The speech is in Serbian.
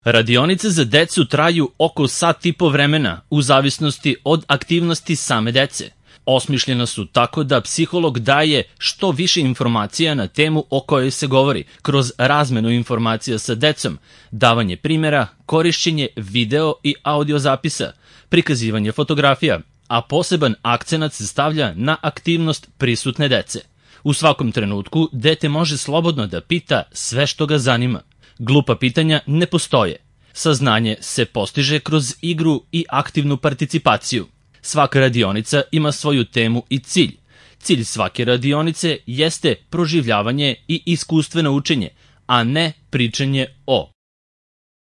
Radionice za decu traju oko sat i po vremena, u zavisnosti od aktivnosti same dece. Osmišljena su tako da psiholog daje što više informacija na temu o kojoj se govori, kroz razmenu informacija sa decom, davanje primjera, korišćenje video i audio zapisa, prikazivanje fotografija, a poseban akcenat se stavlja na aktivnost prisutne dece. U svakom trenutku dete može slobodno da pita sve što ga zanima. Glupa pitanja ne postoje. Saznanje se postiže kroz igru i aktivnu participaciju. Svaka radionica ima svoju temu i cilj. Cilj svake radionice jeste proživljavanje i iskustveno učenje, a ne pričanje o.